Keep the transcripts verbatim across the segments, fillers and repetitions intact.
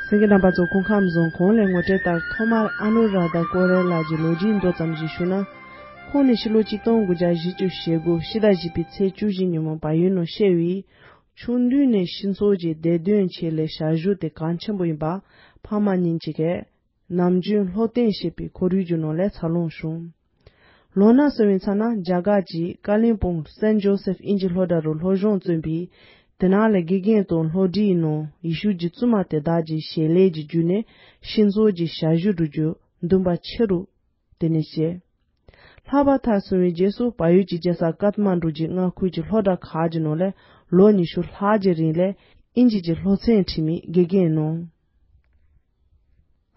གསན་མཁན་རྣམ་པ་ཚོ། སྐུ་ཁམས་བཟང་། གོང་ལ་ངོ་སྤྲོད་ལྟར། ཐོག་མར་ཨ་ནུ་ར་དྷ་ཀོ་རེ་ལ་གྱི་ལོ་རྒྱུས་མདོ་ཙམ་ཞིག་ཞུ་ན། ཁོང་ནི་ཕྱི་ལོ་ཆིག་སྟོང་དགུ་བརྒྱ་བཞི་བཅུ་ཞེ་དགུ་ཕྱི་ཟླ་བཞི་པའི་ཚེས་བཅུ་བཞི་ཉིན་མོ་བལ་ཡུལ་ནང་བཤད་པའི། ཆུང་དུས་ནས་སྤྱི་ཚོགས་ཀྱི་བདེ་དོན་ཆེད་ལས་ཞབས་ཞུ་དེ་གལ་ཆེན་པོ་ཡིན་པ། ཕ་མ་གཉིས་ཀྱིས་ནམ་རྒྱུན་བློ་གཏད་བྱེད་པའི་ཁོར་ཡུག་གི་ནང་ལ་འཚར་ལོངས་བྱུང་། ལོ་ན་སོན་པའི་ཚེ་ན་རྒྱ་གར་གྱི་ཀ་ལིམ་པོང་སན་ཇོ་སེབ་དབྱིན་ཇི་སློབ་གྲྭ་རུ་སློབ་སྦྱོང་བརྩམས་པས། དེ་ནང་ལ་དགེ་རྒན་དང་སློབ་གྲྭའི་ནང་ཡེ་ཤུ་གྱི་བཙུན་མ་དེ་དག་གི་ཞལ་ལས་ཀྱི་བརྒྱུད་ནས་སྤྱི་ཚོགས་ཀྱི་ཞབས་ཞུ་སྒྲུབ་རྒྱུ་འདུན་པ་ཆེ་རུ་དེ་ནས་སྐྱེས། ལྷག་པར་མཐར་སོན་པའི་རྗེས་སུ་བལ་ཡུལ་གྱི་རྒྱལ་ས་ཀཏ་མན་ཌུ་གྱི་མངའ་ཁུལ་གྱི་སློབ་གྲྭ་ཁག་གི་ནང་ལ་ལོ་ཉི་ཤུ་ལྷག་གི་རིང་ལ་དབྱིན་ཇི་གི་སློབ་ཚན་ཁྲིད་མི་དགེ་རྒན་གནང་།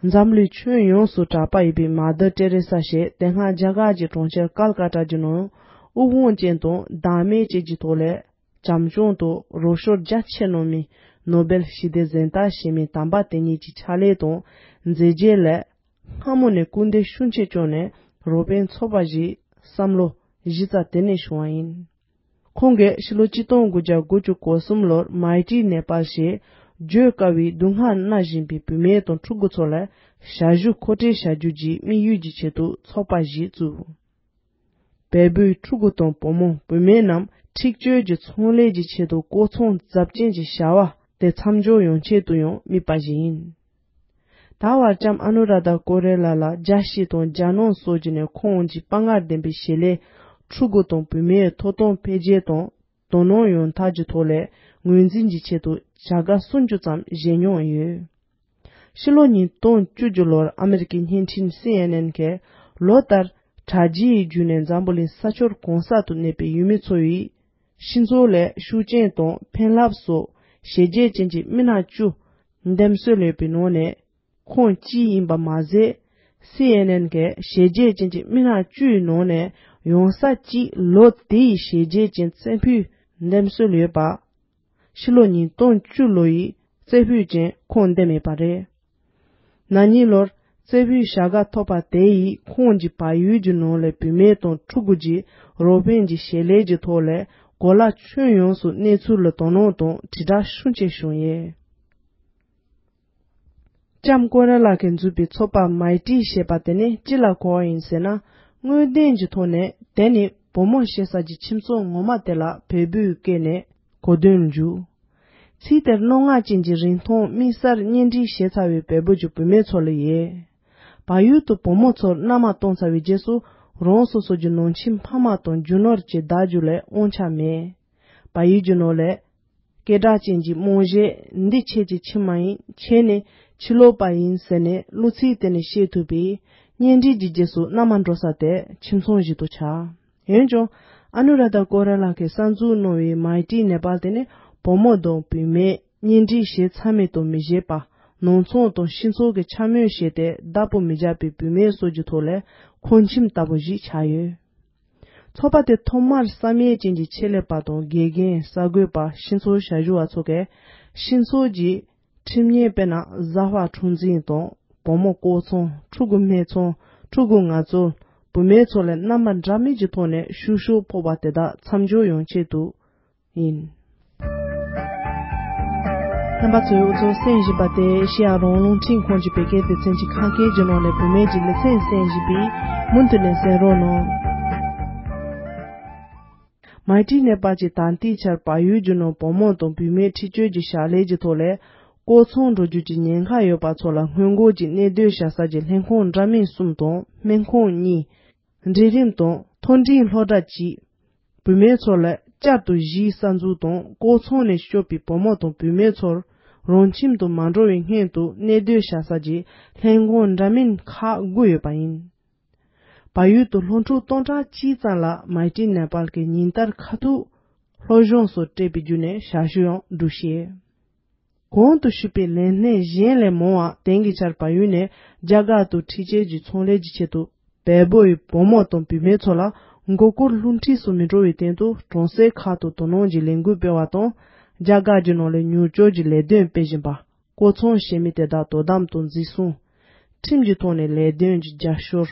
འཛམ་གླིང་ཁྱོན་ཡོངས་སུ་གྲགས་པ་ཡིན་པའི་མ་དར་ཏེ་རེ་ས་ཞེས་དེ་སྔ་རྒྱ་གར་གྱི་གྲོང་ཁྱེར་ཀལ་ཀ་ཏ་གྱི་ནང་དབུགས་དབང་ཅན་དང་བདག་མེད་ཅན་གྱི་ཐོག་ལས་བྱམས་སྐྱོང་དང་རོགས་སྐྱོར་རྒྱ་ཆེ་གནང་མི་ནོ་སྦེལ་ཞི་བདེ་གཟེངས་རྟགས་བཞེས་མི་དམ་པ་དེ་ཉིད་ཀྱི་ཕྱག་ལས་དང་མཛད་རྗེས་ལ་སྔ་མོ་ནས་སྐུལ་འདེད་ཤུགས་ཆེ་བྱུང་ནས་རོགས་ཕན་ཚོགས་པ་ཞིག་བསམ་བློ་གཞི་རྩ་དེ་ནས་བྱུང་བ་ཡིན། ཁོང་གིས་ཕྱི་ལོ་ཆིག་སྟོང་དགུ་བརྒྱ་དགུ་བཅུ་གོ་གསུམ་ལོར་མའི་ཊི་ནེ་པཱལ་ཞེས་བརྗོད་དཀའ་བའི་སྡུག་བསྔལ་མནར་བཞིན་པའི་བུད་མེད་དང་ཕྲུ་གུ་ཚོ་ལ་ཞབས་ཞུ་མཁོ་སྤྲོད་བྱ་རྒྱུ་གྱི་དམིགས་ཡུལ་གྱི་ཆེད་དུ་ཚོགས་པ་ཞིག་བཙུགས། བལ་པོའི་ཕྲུ་གུ་དང་བུ་མོ་བུད་མེད་རྣམས་འཁྲིག་སྤྱོད་ཀྱི་ཚོང་ལས་ཀྱི་ཆེད་དུ་བཀོལ་ཚོང་ཚབས་ཆེན་གྱི་བྱ་བ་དེ་མཚམས་འཇོག་ཡོང་ཆེད་དུ་ཡང་དམིགས་པ་ཞིག་ཡིན། ད་བར་ལྕམ་ཨ་ནུ་ར་དྷ་ཀོ་རེ་ལ་ལ་རྒྱལ་སྤྱི་དང་རྒྱལ་ནང་སོགས་ཀྱི་ནས་ཁོང་གི་དཔའ་ངར་ལྡན་པའི་བྱེད་ལས་ཕྲུ་གུ་དང་བུད་མེད་ཐོབ་ཐང་འཕེལ་རྒྱས་དང་དོ་སྣང་ཡོང་ཐབས་ཀྱི་ཐོག་ལས་ངོས་འཛིན་གྱི་ཆེད་དུ་བྱ་དགའ་སུམ་ཅུ་ཙམ་བཞེས་མྱོང་ཡོད། ཕྱི་ལོ་ཉིས་སྟོང་བཅུ་བཅུ་ལོར་ཨ་མེ་རི་ཀའི་བརྙན་འཕྲིན་སི་ཨེན་ཨེན་གྱིས་ལོ་ལྟར་དྲ་རྒྱའི་བརྒྱུད་ནས་འཛམ་བུ་གླིང་ས་ཕྱོགས་གང་ས་དུ་གནས་པའི་ཡུལ་མི་ཚོ་ཡིས་སྤྱི་ཚོགས་ལ་ཤུགས་རྐྱེན་དང་ཕན་རླབས་སོགས་བྱས་རྗེས་ཅན་གྱི་མི་སྣ་བཅུ་འདེམས་གསོལ་ཡོད་པའི་ནང་ནས་ཁོང་གཅིག་ཡིན་པ་མ་ཟད། སི་ཨེན་ཨེན་གྱིས་བྱས་རྗེས་ཅན་གྱི་མི་སྣ་བཅུའི་ནང་ནས་ཡང་ས་གཅིག་ལོ་དེའི་བྱས་རྗེས་ཅན་རྩེ་ཕུད་འདེམས་གསོལ་ཡོད་པ། ཕྱི་ལོ་ཉིས་སྟོང་བཅུ་ལོ་ཡི་རྩེ་ཕུད་ཅན་ཁོང་འདེམས་ཡོད་པ་རེད། ན་ནིང་ལོར་རྩེ་ཕུད་བྱ་དགའ་ཐོབ་པ་དེ་ཡིས་ཁོང་གིས་བལ་ཡུལ་གྱི་ནང་ལས་བུད་མེད་དང་ཕྲུ་གུ་གྱི་རོགས་ཕན་གྱི་བྱེད་ལས་ཀྱི་ཐོག་ལས་གོ་ལ་ཁྱོན་ཡོངས་སུ་གནས་ཚུལ་ལ་དོ་སྣང་དང་དྲིལ་བསྒྲགས་ཤུགས་ཆེ་བྱུང་ཡོད། ལྕམ་ཀོ་རེ་ལགས་ཀྱིས་འཛུགས་པའི་ཚོགས་པ་མའི་ཊི་ཞེས་པ་དེ་ནི་ཅི་ལ་གོ་བ་ཡིན་ཟེར་ན། དངོས་བདེན་གྱི་ཐོག་ནས་དེ་ནི་བུ་མོ་ཞེ་ས་ཀྱི་ཁྱིམ་ཚང་ངོ་མ་དེ་ལ་བལ་པོའི་སྐད་ནས་གོ་དོན་འཇུག་ཚིག་དེར་རྣོ་ངར་ཅན་གྱི་རིན་ཐང་དམིགས་བསལ་གཉེན་སྒྲིག་བྱས་ཚར་བའི་བལ་པོ་གྱི་བུད་མེད་ཚོ་ལ་ཡོད། བལ་ཡུལ་དུ་བུ་མོ་ཚོར་མནའ་མ་གཏོང་ཚར་བའི་རྗེས་སུ་རང་སོ་སོ་གྱི་ནང་ཁྱིམ་ཕ་མ་དང་རྒྱུ་ནོར་གྱི་བདག་རྒྱུ་ལས་དབང་ཆ་མེད། བལ་ཡུལ་གྱི་ནང་ལས། སྐད་གྲགས་ཅན་གྱི་རྨང་གཞི་འདི་ཁྱེད་ཀྱི་ཁྱིམ་མ་ཡིན། ཁྱེད་ནི་ཕྱི་ལོགས་པ་ཡིན་ཟེར་ནས་གླུ་ཚིག་དེ་ནས་བཤད་ཐུབ་པས། གཉེན་སྒྲིག་གི་རྗེས་སུ་མནའ་མ་འགྲོ་ས་དེ་ཁྱིམ་ཚང་ཞིག་ཏུ་ཆགས། འོན་ཀྱང་ཨ་ནུ་ར་དྷ་ཀོ་ར་ལགས་ཀྱིས་གསར་འཛུགས་གནང་བའི་མའི་ཊི་ནེ་པཱལ་དེ་ནི་བུ་མོ་དང་བུད་མེད་གཉེན་སྒྲིག་བྱས་ཚར་མེད་དང་མི་བྱེད་པ། ནང་ཚང་དང་སྤྱི་ཚོགས་ཀྱི་འཕྱ་སྨོད་བྱས་ཏེ་བདག་པོ་མི་རྒྱག་པའི་བུད་མེད་སོགས་ཀྱི་ཐོག་ལས་ཁོང་ཁྱིམ་ལྟ་བུ་ཞིག་ཆགས་ཡོད། ཚོགས་པ་དེ་ཐོག་མར་བསམ་ཡས་ཅན་གྱི་ཆེད་ལས་པ་དང་དགེ་རྒན། གསར་འགོད་པ། སྤྱི་ཚོགས་ཞབས་ཞུ་བ་ཚོ་གས་སྤྱི་ཚོགས་ཀྱི་ཁྲིམས་ཉེས་དཔེར་ན་བཟའ་བ་འཁྲུག་འཛིང་དང་བུ་མོ་ལྐོག་ཚོང་། ཕྲུ་གུ་སྨད་འཚོང་། ཕྲུ་གུ་ངལ་རྩོལ། བུད་མེད་ཚོ་ལ་རྣམ་པ་འདྲ་མིན་གྱི་ཐོག་ནས་བཤུ་གཞོག་ཕོག་པ་དེ་དག་མཚམས་འཇོག་ཡོང་ཆེད་དུ་ཡིན། རྣམ་པ་ཚོས་འུ་ཚོ་གསན་བཞིན་པ་དེ་ཨེ་ཤེ་ཡ་རང་དབང་རླུང་འཕྲིན་ཁང་གི་བོད་སྐད་སྡེ་ཚན་གྱི་ཁམས་སྐད་ཀྱི་ནང་ནས་བུད་མེད་ཀྱི་ལེ་ཚན་གསན་བཞིན་པས་མུ་མཐུད་ནས་གསན་རོགས་གནང་། མའི་ཊི་ནེ་པཱལ་གྱིས་ད་ལྟའི་ཆར་བལ་ཡུལ་གྱི་ནང་བུ་མོ་དང་བུད་མེད་འཁྲིག་སྤྱོད་ཀྱི་བྱ་ལས་ཀྱི་ཐོག་ལས་ལྐོག་ཚོང་འགྲོ་རྒྱུ་གྱི་ཉེན་ཁ་ཡོད་པ་ཚོ་ལ་སྔོན་འགོག་གྱི་གནས་སྡོད་བྱ་ས་ཀྱི་ལྷན་ཁང་འདྲ་མིན་གསུམ་དང་སྨན་ཁང་གཉིས། འབྲིང་རིམ་དང་མཐོ་འབྲིང་སློབ་གྲྭ་གཅིག་བུད་མེད་ཚོ་ལ་བསྐྱར་དུ་གཞིས་གསར་འཛུགས་དང་ལྐོག་ཚོང་ནས་སྐྱོབ་པའི་བུ་མོ་དང་བུད་མེད་ཚོར་རང་ཁྱིམ་དུ་མ་འགྲོ་བའི་སྔོན་དུ་གནས་སྡོད་བྱ་ས་ཀྱི་ལྷན་ཁང་འདྲ་མིན་ཁག་དགུ་ཡོད་པ་ཡིན། བལ་ཡུལ་དུ་སློབ་ཕྲུག་སྟོང་ཕྲག་གཅིག་ཙམ་ལ་མའི་ཊི་ནེ་པཱལ་གྱིས་ཉིན་ལྟར་ཁ་ཐུག་སློབ་སྦྱོང་སོགས་སྤྲད་པའི་བརྒྱུད་ནས་ཞབས་ཞུ་ཡང་སྒྲུབ་བཞིན། གོང་དུ་ཞུས་པའི་ལས་སྣེ་གཞན་ལས་མང་བ་དེང་གི་ཆར་བལ་ཡུལ་ནས་རྒྱ་གར་དུ་འཁྲིག་སྤྱོད་ཀྱི་ཚོང་ལས་ཀྱི་ཆེད་དུ་བལ་པོ་ཡི་བུ་མོ་དང་བུད་མེད་ཚོ་ལ་མགོ་སྐོར་སློབ་ཁྲིད་སུ་མི་འགྲོ་བའི་སྟེང་དུ་གྲོང་གསེབ་ཁག་ཏུ་དོ་སྣང་གི་ལས་འགུལ་སྤེལ་བ་དང་། རྒྱ་གར་གྱི་ནང་ལ་མྱུར་སྐྱོབ་ཀྱི་ལས་དོན་སྤེལ་བཞིན་པ། ལྐོག་ཚོང་བྱེད་མི་དེ་དག་དོ་དམ་དང་འཛིན་བཟུང་། ཁྲིམས་ཀྱི་ཐོག་ནས་ལས་དོན་གྱི་རྒྱབ་སྐྱོར།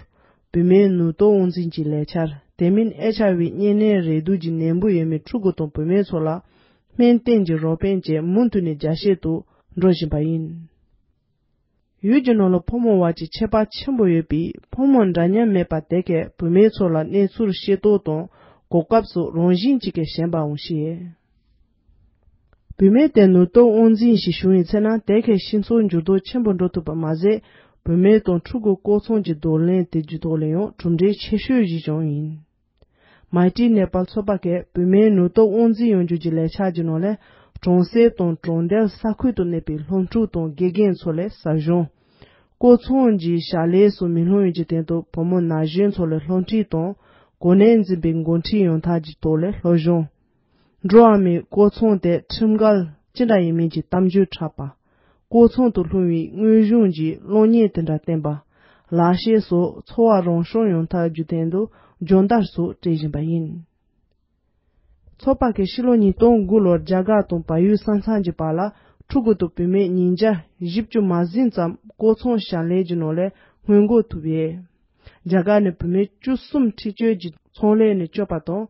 བུད་མེད་ནུས་སྟོབས་དབང་འཛིན་གྱི་ལས་འཆར། དེ་མིན་ཨེཆ་ཨའི་ཝི་གཉན་ནད་རེག་དུག་གི་ནད་འབུ་ཡོད་མི་ཕྲུ་གུ་དང་བུད་མེད་ཚོ་ལ་སྨན་བསྟེན་གྱི་རོགས་ཕན་བཅས་མུ་མཐུད་ནས་རྒྱ་སྐྱེད་དུ་འགྲོ་བཞིན་པ་ཡིན། ཡུལ་གྱི་ནང་ལ་ཕོ་མོ་བར་གྱི་ཁྱད་པར་ཆེན་པོ་ཡོད་པས། ཕོ་མོ་འདྲ་མཉམ་མེད་པར་དེ་གས་བུད་མེད་ཚོ་ལ་གནས་ཚུལ་ཤེས་རྟོགས་དང་གོ་སྐབས་སོགས་རང་བཞིན་གྱིས་ཀྱི་ཞན་པ་འོང་ཤེས། བུད་མེད་དེ་ནུས་སྟོབས་དབང་འཛིན་ཞིག་བྱུང་བའི་ཚེ་ན་དེ་གས་སྤྱི་ཚོགས་འགྱུར་ལྡོག་ཆེན་པོ་འགྲོ་ཐུབ་པ་མ་ཟད། བུད་མེད་དང་ཕྲུ་གུ་སྐོར་ཚོང་གི་འདོར་ལེན་དེ་རྒྱུ་ཐོག་ལ་ཡང་གྲུབ་འབྲས་ཆེ་ཤོས་ཤིག་ཀྱང་ཡིན། མའི་ཏྲི་ནེ་པཱལ་ཚོགས་པ་གིས་བུད་མེད་ནུས་སྟོབས་དབང་འཛིན་ཡོང་རྒྱུ་གྱི་ལས་འཆར་གྱི་ནང་ལས། གྲོང་གསེབ་དང་གྲོང་རྡལ་ས་ཁུལ་དུ་གནས་པའི་སློབ་ཕྲུག་དང་དགེ་རྒན་ཚོ་ལ་ཟབ་སྦྱོང་། སྐོར་ཚོང་གི་བྱ་ལས་སུ་མི་ལྷུང་བའི་ཅི་སྟེང་དུ་བུ་མོ་ན་གཞོན་ཚོ་ལ་སློབ་ཁྲིད་དང་། གོ་གནས་འཛིན་པའི་འགོ་ཁྲིད་ཡོང་ཐབས་ཀྱི་ཐོག་ལས་སློབ་སྦྱོང་། འགྲོ་བ་མིའི་སྐོར་ཚོང་དེ་ཁྲིམས་འགལ་ཅི་འདྲ་ཡིན་མིན་གྱི་གཏམ་བརྗོད་འཁྲབ་པ། སྐོར་ཚོང་དུ་ལྷུང་བའི་དངོས་གཞུང་གི་གློག་བརྙན་དེ་འདྲ་བསྟན་པ། ལག་ཤེས་སོགས་འཚོ་བ་རང་སྐྱོང་ཡོང་ཐབས་རྒྱུ་སྟེང་དུ་སྦྱོང་བརྡར་སོགས་སྤྲད་བཞིན་པ་ཡིན། ཚོགས་པ་གིས་ཕྱི་ལོ་ཉིས་སྟོང་དགུ་ལོར་རྒྱ་གར་དང་བལ་ཡུལ་ས་མཚམས་ཀྱི་བར་ལ་ཕྲུ་གུ་དང་བུད་མེད་ཉིས་བརྒྱ་བཞི་བཅུ་མ་ཟིན་ཙམ་སྐོར་ཚོང་བྱ་ལས་ཀྱི་ནང་ལས་སྔོན་འགོག་ཐུབ་ཡོད། རྒྱ་གར་ནས་བུད་མེད་བཅུ་གསུམ་འཁྲིག་སྤྱོད་ཀྱི་ཚོང་ལས་ནས་སྐྱོབ་པ་དང་།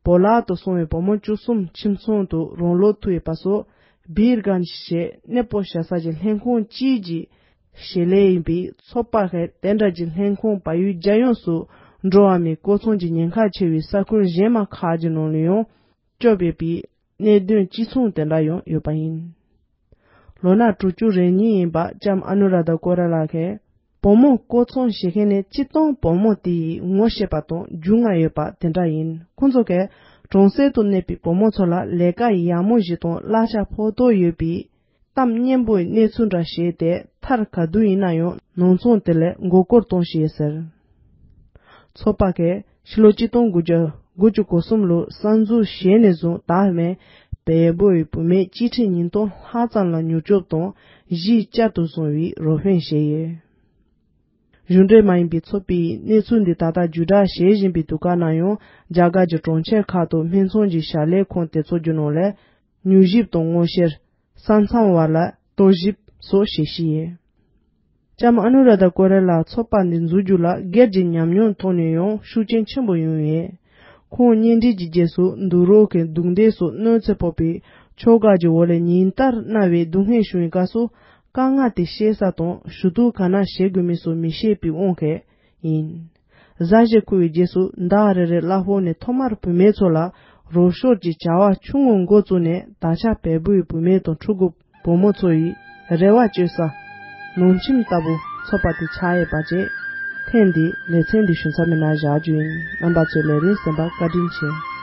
བོ་ལག་ཏུ་སོང་བའི་བུ་མོ་བཅུ་གསུམ་ཁྱིམ་ཚང་དུ་རང་ལོག་ཐུབ་ཡོད་པ་སོགས། བིར་གན་ཞེས་གནས་སྤོ་བྱ་ས་ཀྱི་ལྷན་ཁང་གཅིག་གི་བྱེད་ལས་ཡིན་པའི་ཚོགས་པ་ཁག་དེ་འདྲ་གྱི་ལྷན་ཁང་བལ་ཡུལ་རྒྱལ་ཡོངས་སུ་འགྲོ་བ་མིའི་སྐོར་ཚོང་གི་ཉེན་ཁ་ཆེ་བའི་ས་ཁུལ་གཞན་མ་ཁག་གི་ནང་ལ་ཡང་སྐྱོབ་ཡོད་པའི་གནད་དོན་གཅིག་མཚུངས་དེ་འདྲ་ཡང་ཡོད་པ་ཡིན། ལོ་ན་དྲུག་ཅུ་རེ་གཉིས་ཡིན་པ་ལྕམ་ཨ་ནུ་ར་ད་ཀོ་ར་ལགས་ཀྱིས། བུ་མོ་སྐོར་ཚོང་བྱེད་མཁན་ནི་སྤྱིར་བཏང་བུ་མོ་དེ་ཡི་ངོ་ཤེས་པ་དང་རྒྱུས་མངའ་ཡོད་པ་དེ་འདྲ་ཡིན། ཁོང་ཚོ་གས་གྲོང་གསེབ་ཏུ་གནས་པའི་བུ་མོ་ཚོ་ལ་ལས་ཀ་ཡག་མོ་ཞིག་དང་གླ་ཆ་ཕོག་ཐུག་ཡོད་པའི་གཏམ་སྙན་པོའི་གནས་ཚུལ་འདྲ་བཤད་དེ། མཐར་ག་དུས་ཡིན་ན་ཡང་ནང་ཚང་དེ་ལ་མགོ་སྐོར་གཏོང་བཞིན་ཡོད་ཟེར། ཚོགས་པ་གིས་ཕྱི་ལོ་གཅིག་སྟོང་དགུ་བརྒྱ་དགུ་བཅུ་གོ་གསུམ་ལོར་གསར་འཛུགས་བྱས་ནས་བཟུང་ད་བར་བལ་པོའི་བུད་མེད་སྤྱི་ཁྲི་ཉིས་སྟོང་ལྷག་ཙམ་ལ་མྱུར་སྐྱོབ་དང་གཞིས་བཅའ་དུ་བཟུང་བའི་རོགས་ཕན་བྱས་ཡོད། གཞུང་འབྲེལ་མ་ཡིན་པའི་ཚོགས་པས་གནས་ཚུལ་འདི་ད་ལྟ་བརྒྱུད་བསྒྲགས་བྱེད་བཞིན་པའི་དུས་སྐབས་ན་ཡང་། རྒྱ་གར་གྱི་གྲོང་ཁྱེར་ཁག་ཏུ་སྨད་འཚོང་གི་བྱ་ལས་ཁང་དེ་ཚོ་གྱི་ནང་ལ་མྱུལ་ཞིབ་དང་སྔོག་བཤེར། ས་མཚམས་བར་ལ་རྟོག་ཞིབ་སོགས་བྱེད་བཞིན་ཡོད། ལྕམ་ཨ་ནུ་ར་དཱ་ཀོ་རེ་ལགས་ཚོགས་པ་འདི་འཛུགས་རྒྱུ་ལ་སྒེར་གྱི་ཉམས་མྱོང་ཐོག་ནས་ཡང་ཤུགས་རྐྱེན་ཆེན་པོ་ཡོང་ཡོད། ཁོང་གཉེན་སྒྲིག་གི་རྗེས་སུ་འདུག་རོགས་ཀྱི་རྡུང་རྡེག་སོགས་གནོད་འཚེ་ཕོག་པའི་ཕྱོགས་འགལ་གྱི་འོག་ལ་ཉིན་ལྟར་མནར་བའི་སྡུག་བསྔལ་བྱུང་བའི་སྐབས་སུ། དཀའ་ངལ་དེ་བཤད་ས་དང་ཞུ་གཏུག་ག་ན་བྱེད་དགོས་མིན་སོགས་མི་ཤེས་པའི་དབང་གིས་ཡིན། གཟའ་ཞིག་འཁོར་བའི་རྗེས་སུ་ཟླ་རེ་རེར་གླ་ཕོགས་ནས་ཐོག་མར་བུད་མེད་ཚོ་ལ་རོགས་སྐྱོར་གྱི་བྱ་བ་ཆུང་ངུ་འགོ་བཙུགས་ནས། ད་ཆ་བལ་པོའི་བུད་མེད་དང་ཕྲུ་གུ་བུ་མོ་ཚོ་ཡི་རེ་བ་བཅོལ་ས་ནང་ཁྱིམ་ལྟ་བུ་ཚོགས་པ་དེ་ཆགས་ཡོད་པ་བཅས། ཐེངས་འདིའི་ལེ་ཚན་འདི་ཞུ་མཚམས་མེད་ན་བཞག་རྒྱུ་ཡིན། རྣམ་པ་ཚོས་ལས་རིམ་གསན་པར་བཀའ་དྲིན་ཆེ།